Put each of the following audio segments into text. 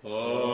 Alleluia.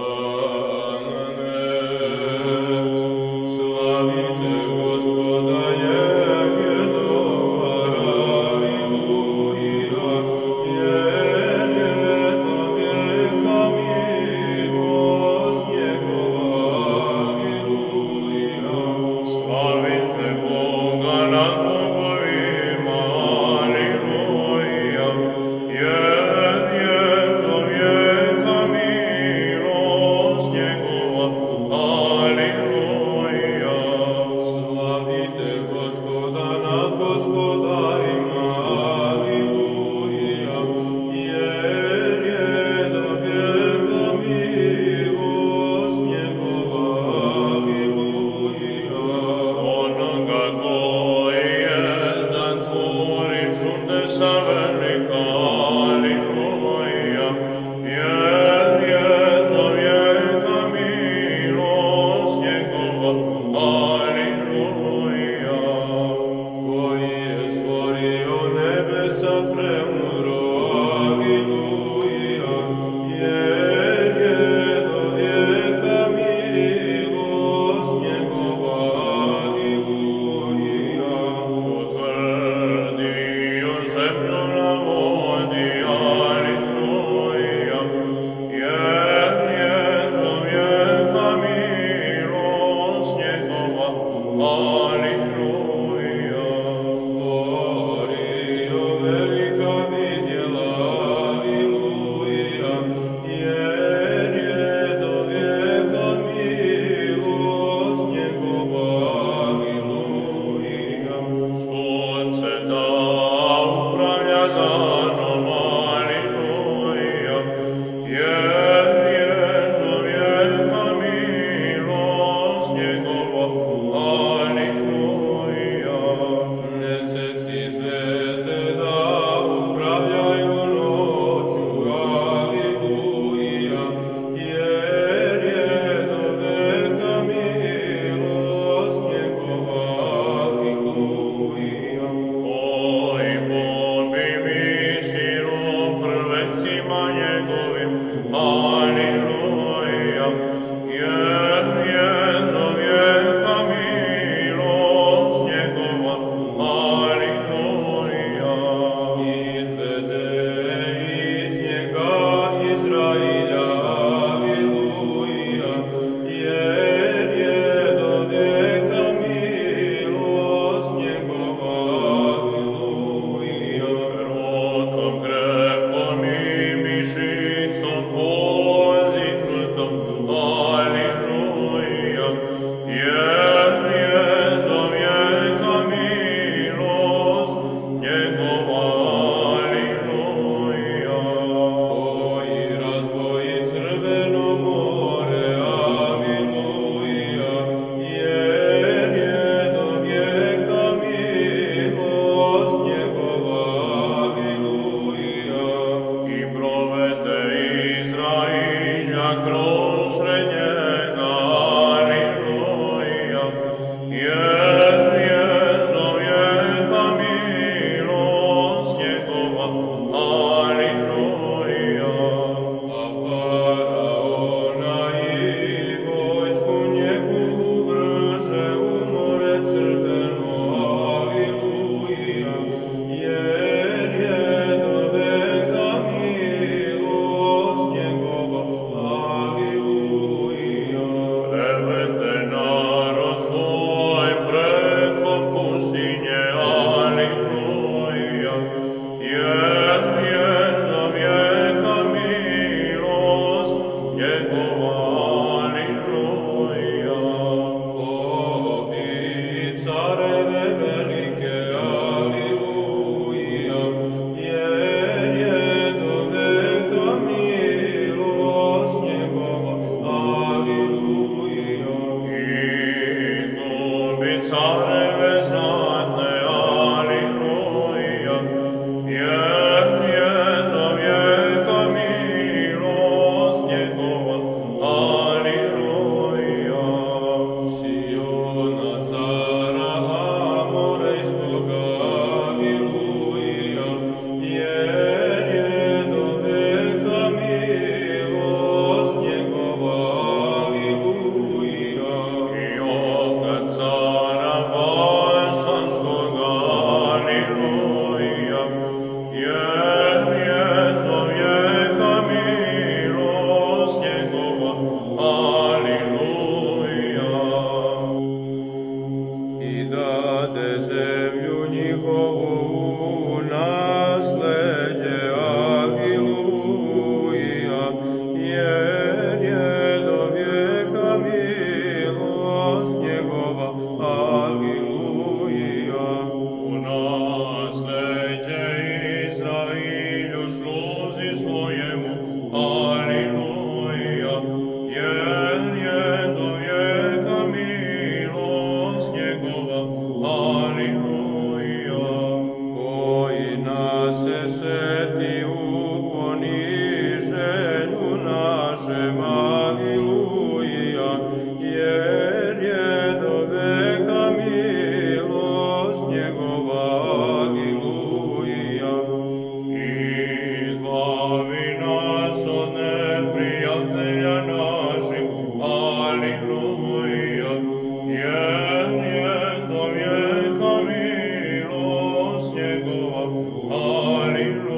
njegova, aliluja,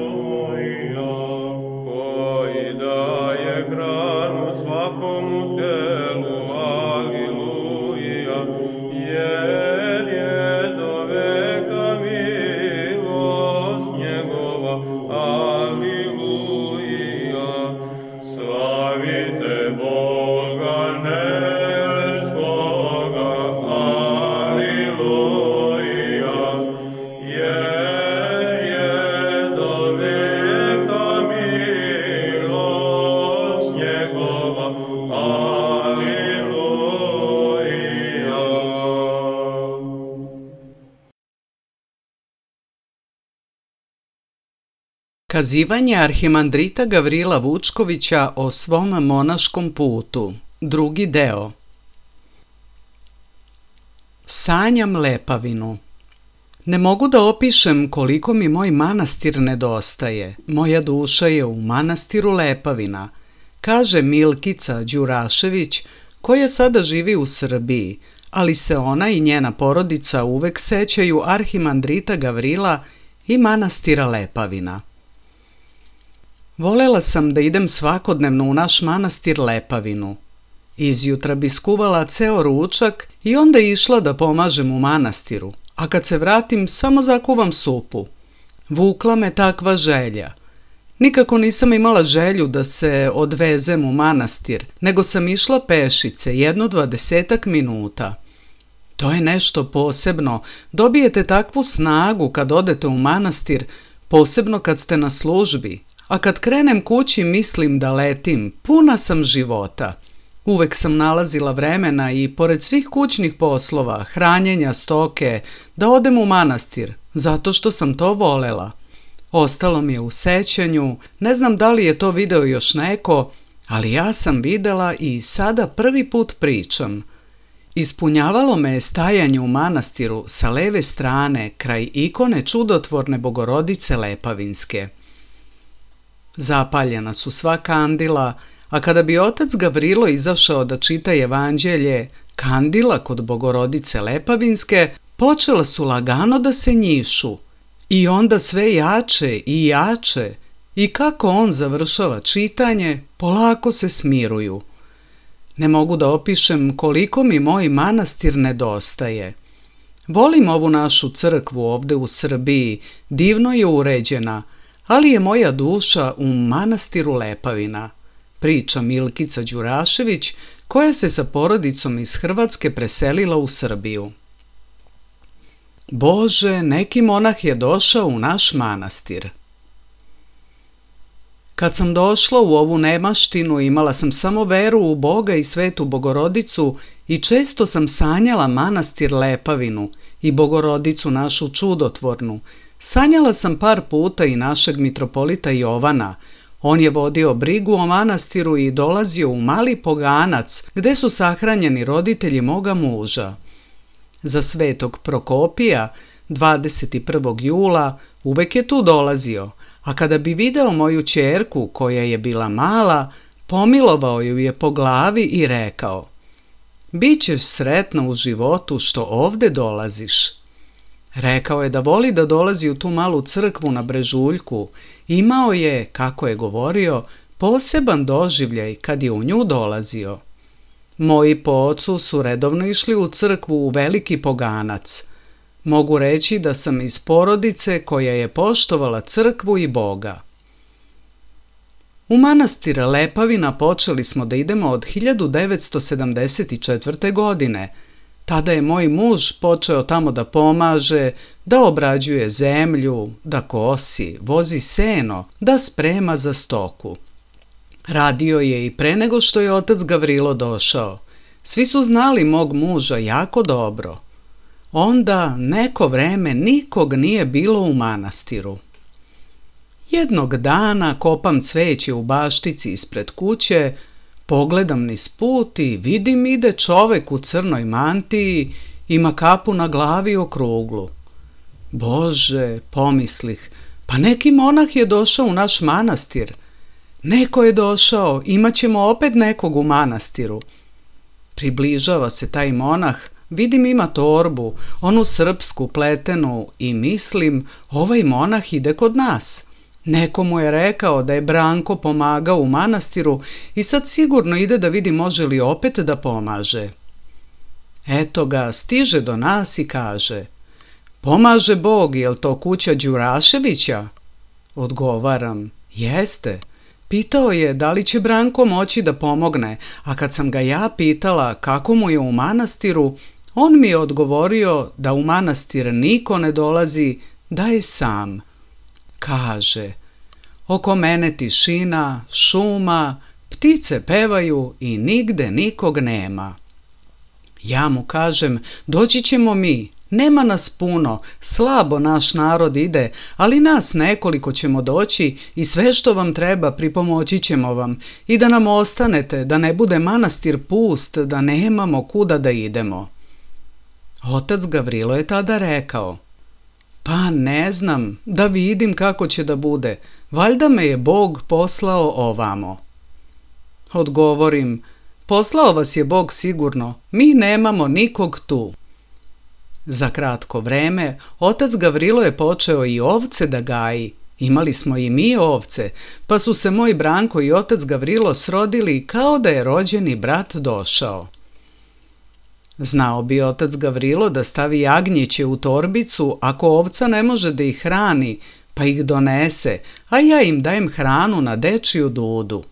koji daje hranu svakomu telu, aliluja, jer je do veka milost njegova, aliluja, slavite Boga nebeskoga, aliluja, jer je do veka milost njegova, aliluja. Kazivanje arhimandrita Gavrila Vučkovića o svom monaškom putu. Drugi deo. Sanjam Lepavinu. Ne mogu da opišem koliko mi moj manastir nedostaje. Moja duša je u manastiru Lepavina, kaže Milkica Đurašević, koja sada živi u Srbiji, ali se ona i njena porodica uvek sećaju arhimandrita Gavrila i manastira Lepavina. Volela sam da idem svakodnevno u naš manastir Lepavinu. Izjutra bi skuvala ceo ručak i onda išla da pomažem u manastiru, a kad se vratim samo zakuvam supu. Vukla me takva želja. Nikako nisam imala želju da se odvezem u manastir, nego sam išla pešice, 20 minuta. To je nešto posebno, dobijete takvu snagu kad odete u manastir, posebno kad ste na službi, a kad krenem kući mislim da letim, puna sam života. Uvek sam nalazila vremena i pored svih kućnih poslova, hranjenja stoke, da odem u manastir, zato što sam to volela. Ostalo mi je u sećanju, ne znam da li je to video još neko, ali ja sam videla i sada prvi put pričam. Ispunjavalo me je stajanje u manastiru sa leve strane kraj ikone čudotvorne Bogorodice Lepavinske. Zapaljena su sva kandila, a kada bi otac Gavrilo izašao da čita evanđelje, kandila kod Bogorodice Lepavinske počela su lagano da se njišu. I onda sve jače i jače, i kako on završava čitanje, polako se smiruju. Ne mogu da opišem koliko mi moj manastir nedostaje. Volim ovu našu crkvu ovde u Srbiji, divno je uređena, ali je moja duša u manastiru Lepavina, priča Milkica Đurašević, koja se sa porodicom iz Hrvatske preselila u Srbiju. Bože, neki monah je došao u naš manastir. Kad sam došla u ovu nemaštinu, imala sam samo veru u Boga i Svetu Bogorodicu i često sam sanjala manastir Lepavinu i Bogorodicu našu čudotvornu. Sanjala sam par puta i našeg mitropolita Jovana. On je vodio brigu o manastiru i dolazio u Mali Poganac, gde su sahranjeni roditelji moga muža. Za Svetog Prokopija, 21. jula, uvek je tu dolazio, a kada bi video moju ćerku, koja je bila mala, pomilovao ju je po glavi i rekao: "Bićeš sretna u životu što ovde dolaziš." Rekao je da voli da dolazi u tu malu crkvu na Brežuljku. Imao je, kako je govorio, poseban doživljaj kad je u nju dolazio. Moji po ocu su redovno išli u crkvu u Veliki Poganac. Mogu reći da sam iz porodice koja je poštovala crkvu i Boga. U manastir Lepavina počeli smo da idemo od 1974. godine. Tada je moj muž počeo tamo da pomaže, da obrađuje zemlju, da kosi, vozi seno, da sprema za stoku. Radio je i pre nego što je otac Gavrilo došao. Svi su znali mog muža jako dobro. Onda neko vreme nikog nije bilo u manastiru. Jednog dana kopam cveće u baštici ispred kuće, pogledam niz put i vidim ide čovek u crnoj mantiji, ima kapu na glavi okruglu. Bože, pomislih, pa neki monah je došao u naš manastir. Neko je došao, imat ćemo opet nekog u manastiru. Približava se taj monah, Vidim ima torbu, onu srpsku pletenu i mislim, ovaj monah ide kod nas. Neko mu je rekao da je Branko pomagao u manastiru i sad sigurno ide da vidi može li opet da pomaže. Eto ga, stiže do nas i kaže: Pomaže Bog, jel to kuća Đuraševića? Odgovaram: Jeste. Pitao je da li će Branko moći da pomogne, a kad sam ga ja pitala kako mu je u manastiru, on mi je odgovorio da u manastir niko ne dolazi, da je sam. Kaže: Oko mene tišina, šuma, ptice pevaju i nigde nikog nema. Ja mu kažem: Doći ćemo mi, nema nas puno, slabo naš narod ide, ali nas nekoliko ćemo doći i sve što vam treba pripomoći ćemo vam i da nam ostanete, da ne bude manastir pust, da nemamo kuda da idemo. Otac Gavrilo je tada rekao: Pa ne znam, da vidim kako će da bude, valjda me je Bog poslao ovamo. Odgovorim: Poslao vas je Bog sigurno, mi nemamo nikog tu. Za kratko vreme otac Gavrilo je počeo i ovce da gaji. Imali smo i mi ovce, pa su se moj Branko i otac Gavrilo srodili kao da je rođeni brat došao. Znao bi otac Gavrilo da stavi jagnjeće u torbicu ako ovca ne može da ih hrani, pa ih donese, a ja im dajem hranu na dečiju dudu.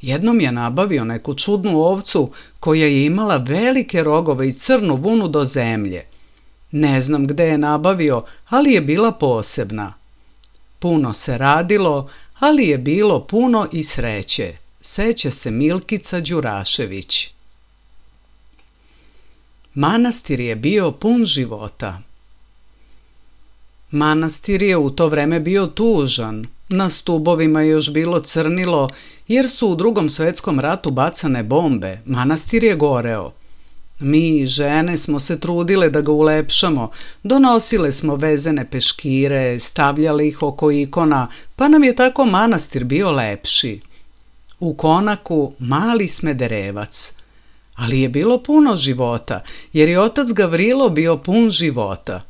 Jednom je nabavio neku čudnu ovcu koja je imala velike rogove i crnu vunu do zemlje. Ne znam gde je nabavio, ali je bila posebna. Puno se radilo, ali je bilo puno i sreće. Seća se Milkica Đurašević. Manastir je bio pun života. Manastir je u to vreme bio tužan. Na stubovima je još bilo crnilo, jer su u Drugom svetskom ratu bacane bombe. Manastir je goreo. Mi, žene, smo se trudile da ga ulepšamo, donosile smo vezene peškire, stavljali ih oko ikona, pa nam je tako manastir bio lepši. U konaku mali Smederevac. Ali je bilo puno života, jer je otac Gavrilo bio pun života.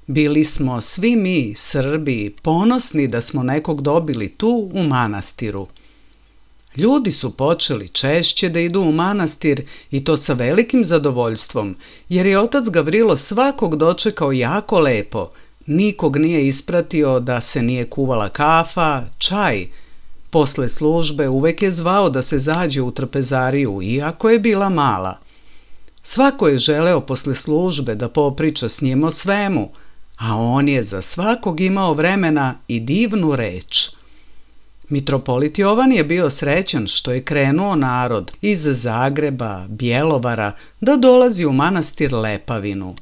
Bili smo svi mi, Srbi, ponosni da smo nekog dobili tu u manastiru. Ljudi su počeli češće da idu u manastir i to sa velikim zadovoljstvom, jer je otac Gavrilo svakog dočekao jako lepo. Nikog nije ispratio da se nije kuvala kafa, čaj. Posle službe uvek je zvao da se zađe u trpezariju, iako je bila mala. Svako je želeo posle službe da popriča s njim o svemu, a on je za svakog imao vremena i divnu reč. Mitropolit Jovan je bio srećan što je krenuo narod iz Zagreba, Bjelovara da dolazi u manastir Lepavinu.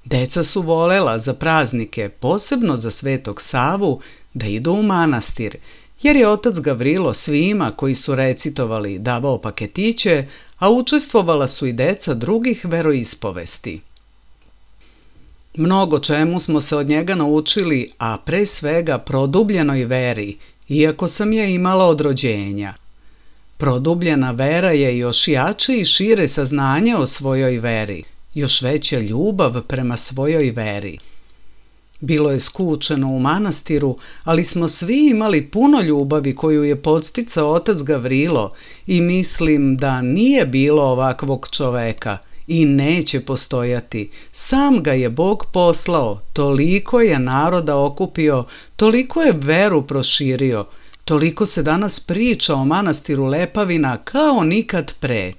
Deca su volela za praznike, posebno za Svetog Savu, da idu u manastir, jer je otac Gavrilo svima koji su recitovali davao paketiće, a učestvovala su i deca drugih veroispovesti. Mnogo čemu smo se od njega naučili, a pre svega produbljenoj veri, iako sam je imala od rođenja. Produbljena vera je još jače i šire saznanje o svojoj veri, još veća ljubav prema svojoj veri. Bilo je skučeno u manastiru, ali smo svi imali puno ljubavi koju je podsticao otac Gavrilo i mislim da nije bilo ovakvog čoveka i neće postojati. Sam ga je Bog poslao, toliko je naroda okupio, toliko je veru proširio, toliko se danas priča o manastiru Lepavina kao nikad pre.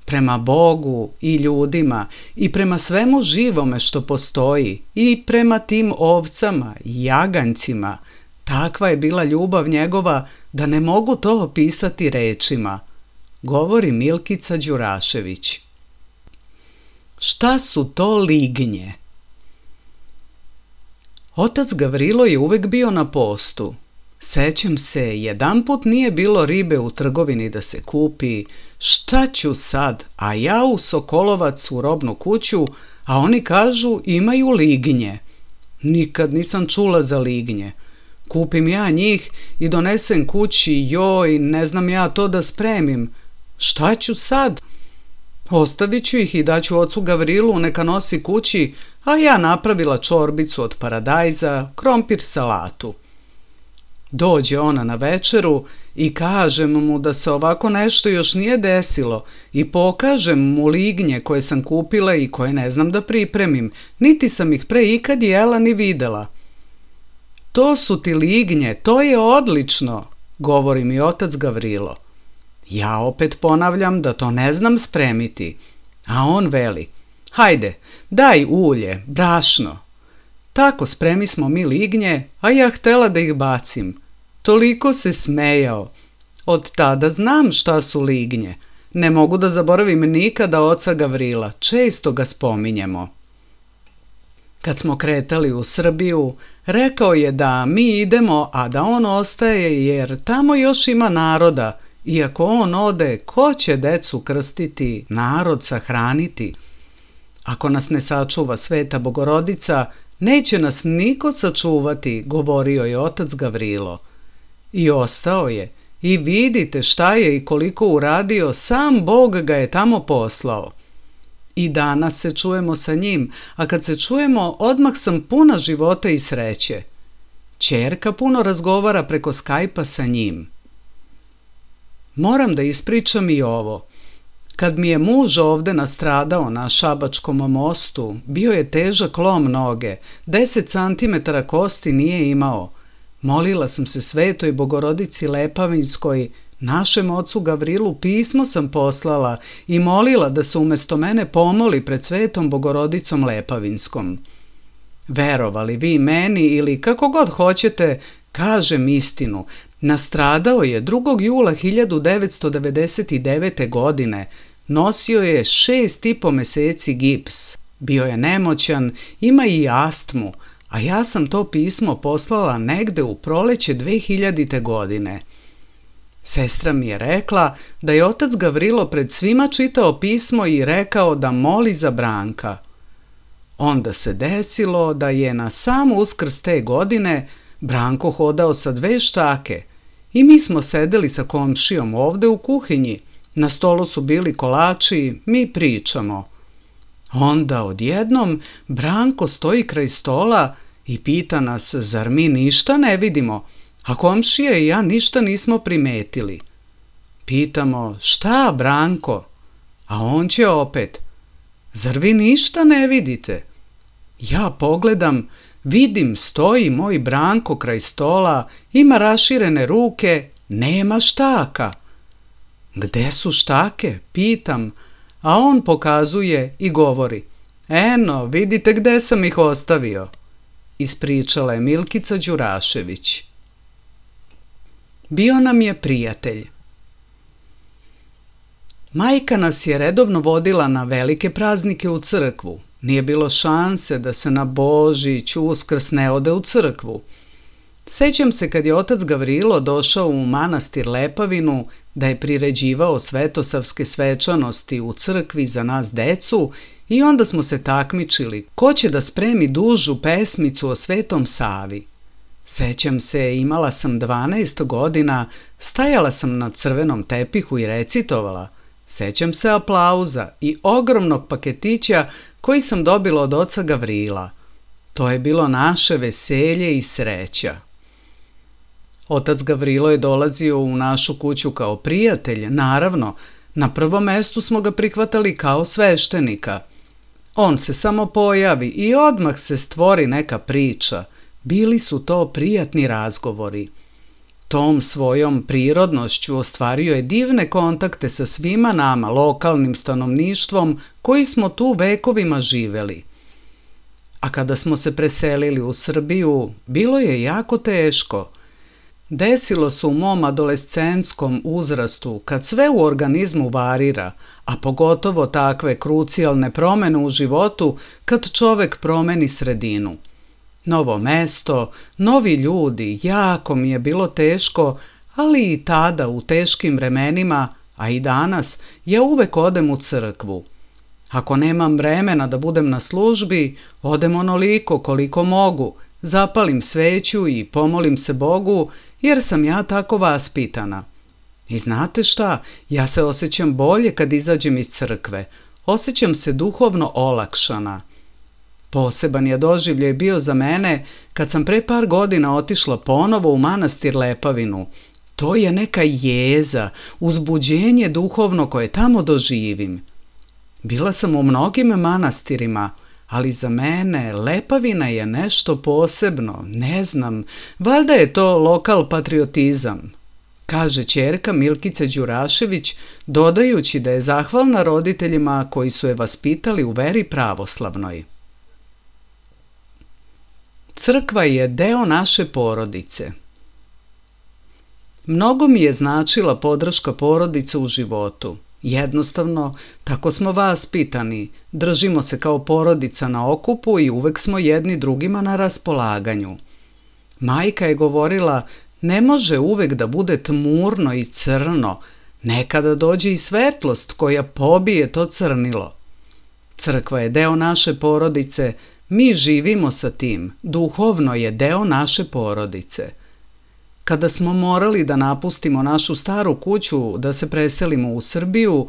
Prema Bogu i ljudima i prema svemu živome što postoji i prema tim ovcama i jaganjcima, takva je bila ljubav njegova da ne mogu to opisati rečima, govori Milkica Đurašević. Šta su to lignje? Otac Gavrilo je uvek bio na postu. Sećam se, jedanput nije bilo ribe u trgovini da se kupi. Šta ću sad, a ja u Sokolovac u robnu kuću, a oni kažu imaju lignje. Nikad nisam čula za lignje. Kupim ja njih i donesem kući, joj, ne znam ja to da spremim. Šta ću sad? Ostavit ću ih i daću ocu Gavrilu, neka nosi kući, a ja napravila čorbicu od paradajza, krompir salatu. Dođe ona na večeru i kažem mu da se ovako nešto još nije desilo i pokažem mu lignje koje sam kupila i koje ne znam da pripremim, niti sam ih pre ikad jela ni videla. To su ti lignje, to je odlično, govori mi otac Gavrilo. Ja opet ponavljam da to ne znam spremiti, a on veli, hajde, daj ulje, brašno. Tako spremismo mi lignje, a ja htela da ih bacim. Toliko se smejao. Od tada znam šta su lignje. Ne mogu da zaboravim nikada oca Gavrila, često ga spominjemo. Kad smo kretali u Srbiju, rekao je da mi idemo, a da on ostaje jer tamo još ima naroda. Iako on ode, ko će decu krstiti, narod sahraniti? Ako nas ne sačuva Sveta Bogorodica, neće nas niko sačuvati, govorio je otac Gavrilo. I ostao je. I vidite šta je i koliko uradio, sam Bog ga je tamo poslao. I danas se čujemo sa njim, a kad se čujemo, odmah sam puna života i sreće. Ćerka puno razgovara preko Skype-a sa njim. Moram da ispričam i ovo. Kad mi je muž ovde nastradao na Šabačkom mostu, bio je težak lom noge, 10 cm kosti nije imao. Molila sam se Svetoj Bogorodici Lepavinskoj, našem ocu Gavrilu pismo sam poslala i molila da se umesto mene pomoli pred Svetom Bogorodicom Lepavinskom. Verovali vi meni ili kako god hoćete, kažem istinu, nastradao je 2. jula 1999. godine, nosio je 6,5 meseci gips, bio je nemoćan, ima i astmu, a ja sam to pismo poslala negde u proleće 2000. godine. Sestra mi je rekla da je otac Gavrilo pred svima čitao pismo i rekao da moli za Branka. Onda se desilo da je na sam Uskrs te godine Branko hodao sa 2 štake i mi smo sedeli sa komšijom ovde u kuhinji. Na stolu su bili kolači, mi pričamo. Onda odjednom Branko stoji kraj stola i pita nas, zar mi ništa ne vidimo, a komšija i ja ništa nismo primetili. Pitamo, šta Branko? A on će opet, zar vi ništa ne vidite? Ja pogledam, vidim stoji moj Branko kraj stola, ima raširene ruke, nema štaka. Gde su štake? Pitam, a on pokazuje i govori, eno, vidite gde sam ih ostavio. Ispričala je Milkica Đurašević. Bio nam je prijatelj. Majka nas je redovno vodila na velike praznike u crkvu. Nije bilo šanse da se na Božić, Uskrs ne ode u crkvu. Sećam se kad je otac Gavrilo došao u manastir Lepavinu da je priređivao svetosavske svečanosti u crkvi za nas decu i onda smo se takmičili ko će da spremi dužu pesmicu o Svetom Savi. Sećam se, imala sam 12 godina, stajala sam na crvenom tepihu i recitovala. Sećam se aplauza i ogromnog paketića koji sam dobila od oca Gavrila. To je bilo naše veselje i sreća. Otac Gavrilo je dolazio u našu kuću kao prijatelj, naravno, na prvom mestu smo ga prihvatali kao sveštenika. On se samo pojavi i odmah se stvori neka priča. Bili su to prijatni razgovori. Tom svojom prirodnošću ostvario je divne kontakte sa svima nama, lokalnim stanovništvom, koji smo tu vekovima živeli. A kada smo se preselili u Srbiju, bilo je jako teško. Desilo se u mom adolescentskom uzrastu, kad sve u organizmu varira, a pogotovo takve krucijalne promene u životu kad čovek promeni sredinu. Novo mesto, novi ljudi, jako mi je bilo teško, ali i tada u teškim vremenima, a i danas, ja uvek odem u crkvu. Ako nemam vremena da budem na službi, odem onoliko koliko mogu, zapalim sveću i pomolim se Bogu, jer sam ja tako vaspitana. I znate šta, ja se osjećam bolje kad izađem iz crkve. Osjećam se duhovno olakšana. Poseban je doživljaj bio za mene kad sam pre par godina otišla ponovo u manastir Lepavinu. To je neka jeza, uzbuđenje duhovno koje tamo doživim. Bila sam u mnogim manastirima, ali za mene Lepavina je nešto posebno, ne znam, valjda je to lokal patriotizam, kaže ćerka Milkice Đurašević, dodajući da je zahvalna roditeljima koji su je vaspitali u veri pravoslavnoj. Crkva je deo naše porodice. Mnogo mi je značila podrška porodice u životu. Jednostavno, tako smo vaspitani, držimo se kao porodica na okupu i uvek smo jedni drugima na raspolaganju. Majka je govorila, ne može uvek da bude tmurno i crno, nekada dođe i svetlost koja pobije to crnilo. Crkva je deo naše porodice, mi živimo sa tim, duhovno je deo naše porodice. Kada smo morali da napustimo našu staru kuću, da se preselimo u Srbiju,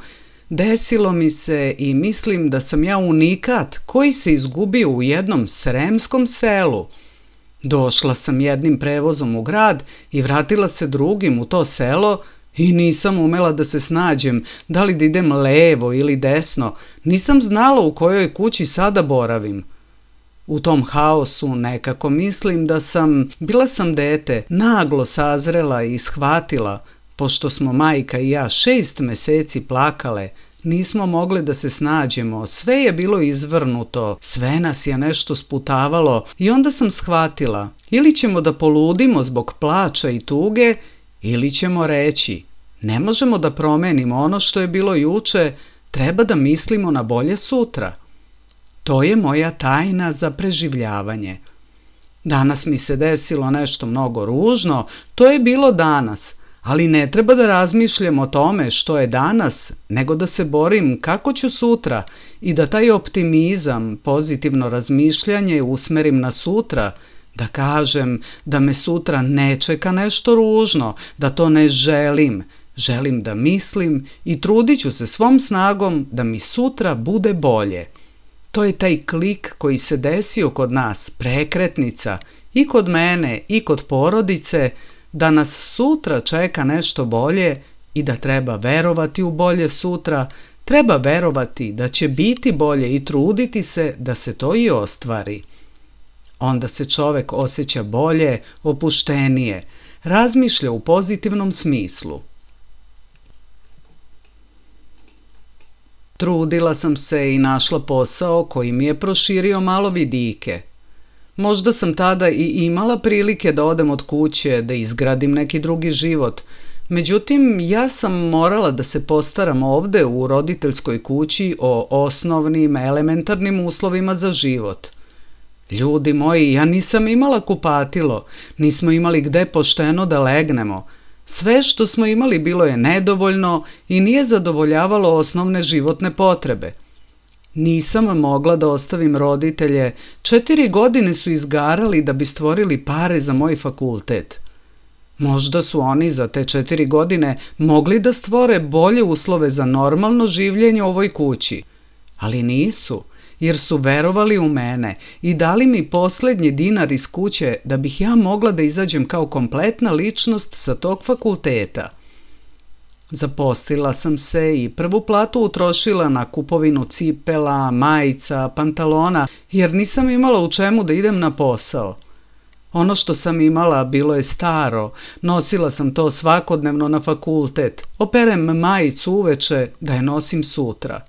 desilo mi se i mislim da sam ja unikat koji se izgubio u jednom sremskom selu. Došla sam jednim prevozom u grad i vratila se drugim u to selo i nisam umela da se snađem, da li da idem levo ili desno, nisam znala u kojoj kući sada boravim. U tom haosu nekako mislim da bila sam dete, naglo sazrela i shvatila, pošto smo majka i ja 6 meseci plakale, nismo mogle da se snađemo, sve je bilo izvrnuto, sve nas je nešto sputavalo i onda sam shvatila, ili ćemo da poludimo zbog plača i tuge, ili ćemo reći, ne možemo da promenimo ono što je bilo juče, treba da mislimo na bolje sutra. To je moja tajna za preživljavanje. Danas mi se desilo nešto mnogo ružno, to je bilo danas, ali ne treba da razmišljam o tome što je danas, nego da se borim kako ću sutra i da taj optimizam, pozitivno razmišljanje usmerim na sutra, da kažem da me sutra ne čeka nešto ružno, da to ne želim, želim da mislim i trudit ću se svom snagom da mi sutra bude bolje. To je taj klik koji se desio kod nas, prekretnica, i kod mene i kod porodice, da nas sutra čeka nešto bolje i da treba verovati u bolje sutra, treba verovati da će biti bolje i truditi se da se to i ostvari. Onda se čovek osjeća bolje, opuštenije, razmišlja u pozitivnom smislu. Trudila sam se i našla posao koji mi je proširio malo vidike. Možda sam tada i imala prilike da odem od kuće, da izgradim neki drugi život. Međutim, ja sam morala da se postaram ovde u roditeljskoj kući o osnovnim, elementarnim uslovima za život. Ljudi moji, ja nisam imala kupatilo, nismo imali gde pošteno da legnemo. Sve što smo imali bilo je nedovoljno i nije zadovoljavalo osnovne životne potrebe. Nisam mogla da ostavim roditelje, 4 godine su izgarali da bi stvorili pare za moj fakultet. Možda su oni za te 4 godine mogli da stvore bolje uslove za normalno življenje u ovoj kući, ali nisu, jer su verovali u mene i dali mi poslednji dinar iz kuće da bih ja mogla da izađem kao kompletna ličnost sa tog fakulteta. Zaposlila sam se i prvu platu utrošila na kupovinu cipela, majica, pantalona, jer nisam imala u čemu da idem na posao. Ono što sam imala bilo je staro, nosila sam to svakodnevno na fakultet, operem majicu uveče da je nosim sutra.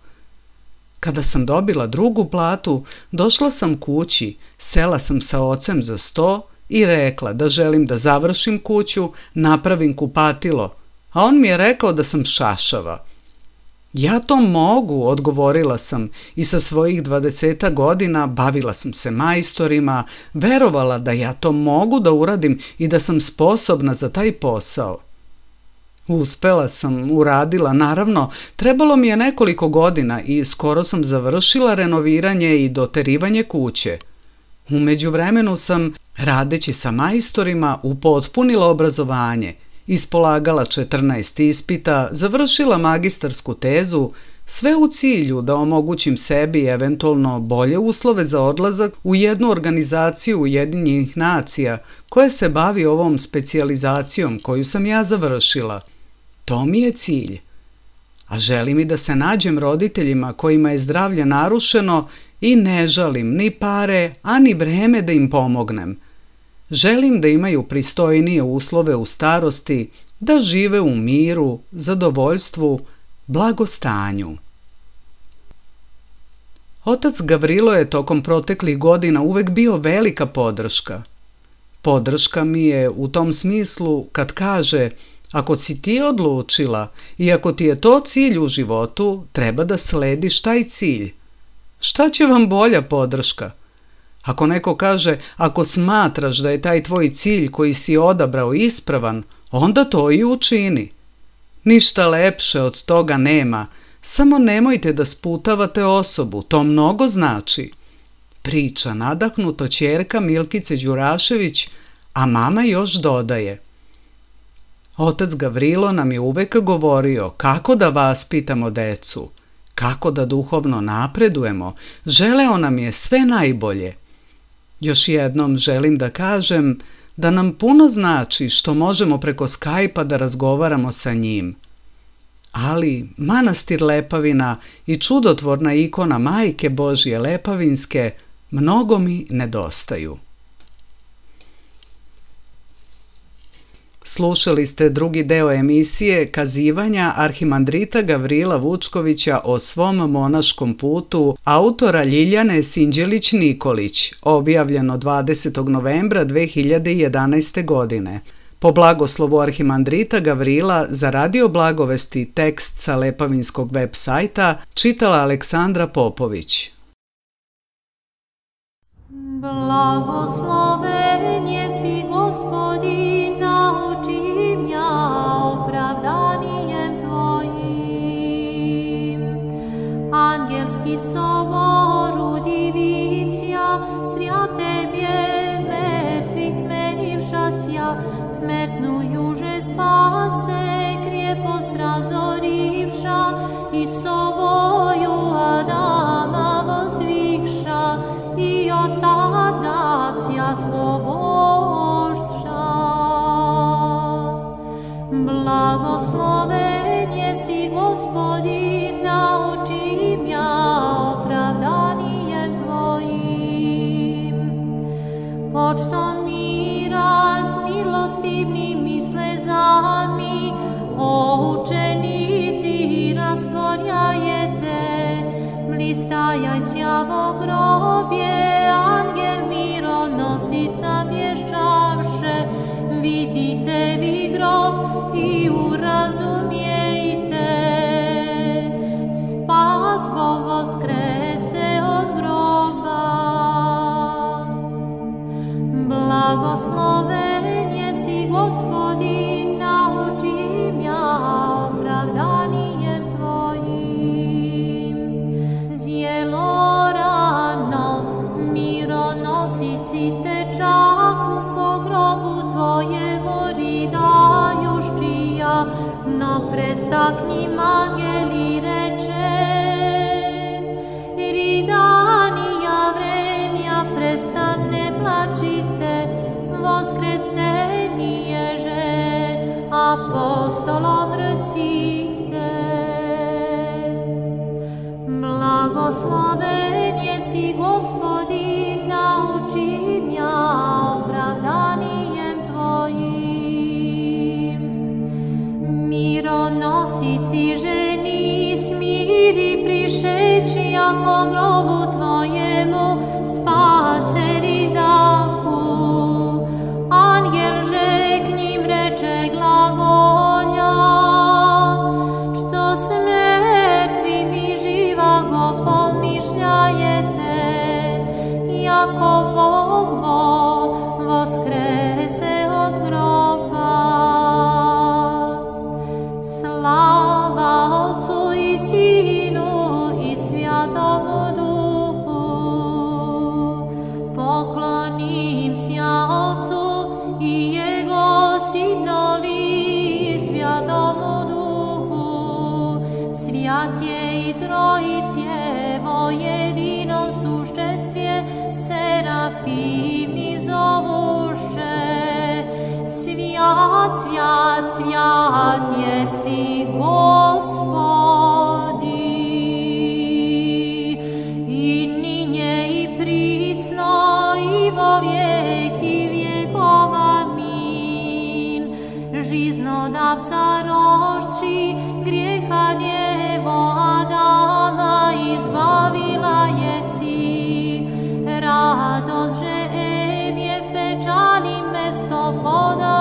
Kada sam dobila drugu platu, došla sam kući, sela sam sa ocem za sto i rekla da želim da završim kuću, napravim kupatilo, a on mi je rekao da sam šašava. Ja to mogu, odgovorila sam, i sa svojih 20 godina bavila sam se majstorima, verovala da ja to mogu da uradim i da sam sposobna za taj posao. Uspela sam, uradila, naravno, trebalo mi je nekoliko godina i skoro sam završila renoviranje i doterivanje kuće. U međuvremenu sam, radeći sa majstorima, upotpunila obrazovanje ispolagala 14 ispita, završila magistarsku tezu, sve u cilju da omogućim sebi eventualno bolje uslove za odlazak u jednu organizaciju Ujedinjenih nacija koja se bavi ovom specijalizacijom koju sam ja završila. To mi je cilj. A želim i da se nađem roditeljima kojima je zdravlje narušeno i ne žalim ni pare, a ni vreme da im pomognem. Želim da imaju pristojnije uslove u starosti, da žive u miru, zadovoljstvu, blagostanju. Otac Gavrilo je tokom proteklih godina uvek bio velika podrška. Podrška mi je u tom smislu kad kaže: ako si ti odlučila i ako ti je to cilj u životu, treba da slediš taj cilj. Šta će vam bolja podrška? Ako neko kaže: ako smatraš da je taj tvoj cilj koji si odabrao ispravan, onda to i učini. Ništa lepše od toga nema, samo nemojte da sputavate osobu, to mnogo znači. Priča nadahnuto ćerka Milkice Đurašević, a mama još dodaje: otac Gavrilo nam je uvek govorio kako da vaspitamo decu, kako da duhovno napredujemo, želeo nam je sve najbolje. Još jednom želim da kažem da nam puno znači što možemo preko Skype-a da razgovaramo sa njim. Ali manastir Lepavina i čudotvorna ikona Majke Božje Lepavinske mnogo mi nedostaju. Slušali ste drugi deo emisije Kazivanja arhimandrita Gavrila Vučkovića o svom monaškom putu, autora Ljiljane Sinđelić-Nikolić, objavljeno 20. novembra 2011. godine. Po blagoslovu arhimandrita Gavrila za Radio Blagovesti tekst sa Lepavinskog web sajta čitala Aleksandra Popović. Blagosloven jesi Gospodin, nauči mja opravdanijem Tvojim. Angelski sovor udivisja, zrja Tebje mrtvih menivšasja, smrtnu juže spase, krijepost razorivša, i sovoju Adama vozdvihša, i od tada vsja svobožša. Blagosloven jesi Gospodin, nauči mja opravdanijem Tvojim. Počtom mira s milostivnim i slezami, o učenici rastvorjajete, blistajaj sjavo grobje, angel mironosica vješćavše, vidite vi grob i urazumijte, spas Bog voskrese od groba. Blagosloven jesi Gospodin, nauči mja opravdanijem Tvojim. Zjelo rano, mironosici tečahu, ko grobu Tvojemu ridajuščija, no predstaknim angeli reče: ridanija vrenja, prestane plačite, voskresenije že apostolom recite. Blagosloven jesi Gospodin, nauči mja opravdanijem Tvojim. Mironosici ženi smiri prišeći, ako grobu Tvojemu spase ridahu. Angel že k njim reče glagolja, što s mrtvim i živa go pomišljajete, jako Bog voskrese od groba. Slava Otcu i Sinu i Svjatomu Duhu, po svjat, svjat jesi Gospodi. I ninje i prisno i vo vijeki vjekova min. Žiznodavca rošči, grijeha djevo Adama izbavila jesi. Radost že evjev pečali mesto poda